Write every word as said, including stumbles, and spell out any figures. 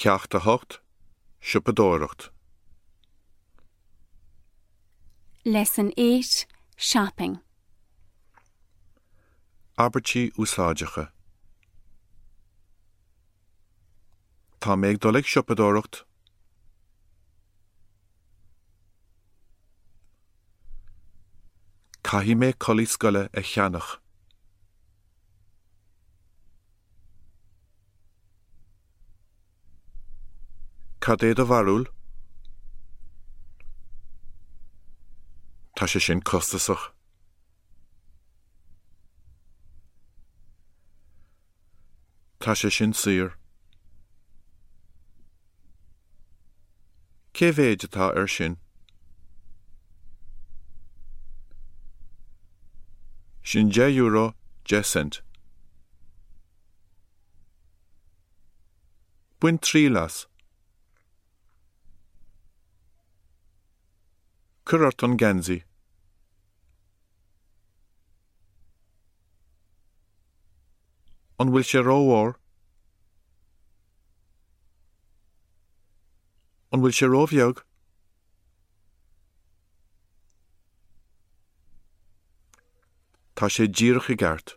Ceacht a hocht, Siopadóireacht. Lesson eight Shopping. Abairtí úsáideacha. Tá mé ag dul ag siopadóireacht. Caithfidh mé culaith scoile a cheannach. Cad é do bharúil? Tá sé sin costasach. Tá sé sin saor. Cé mhéad atá air sin? Sin deich euro deich cent. Bain triail as. Cuir ort an geansaí. An bhfuil sé rófhuar? An bhfuil sé róbheag? Tá sé díreach i gceart.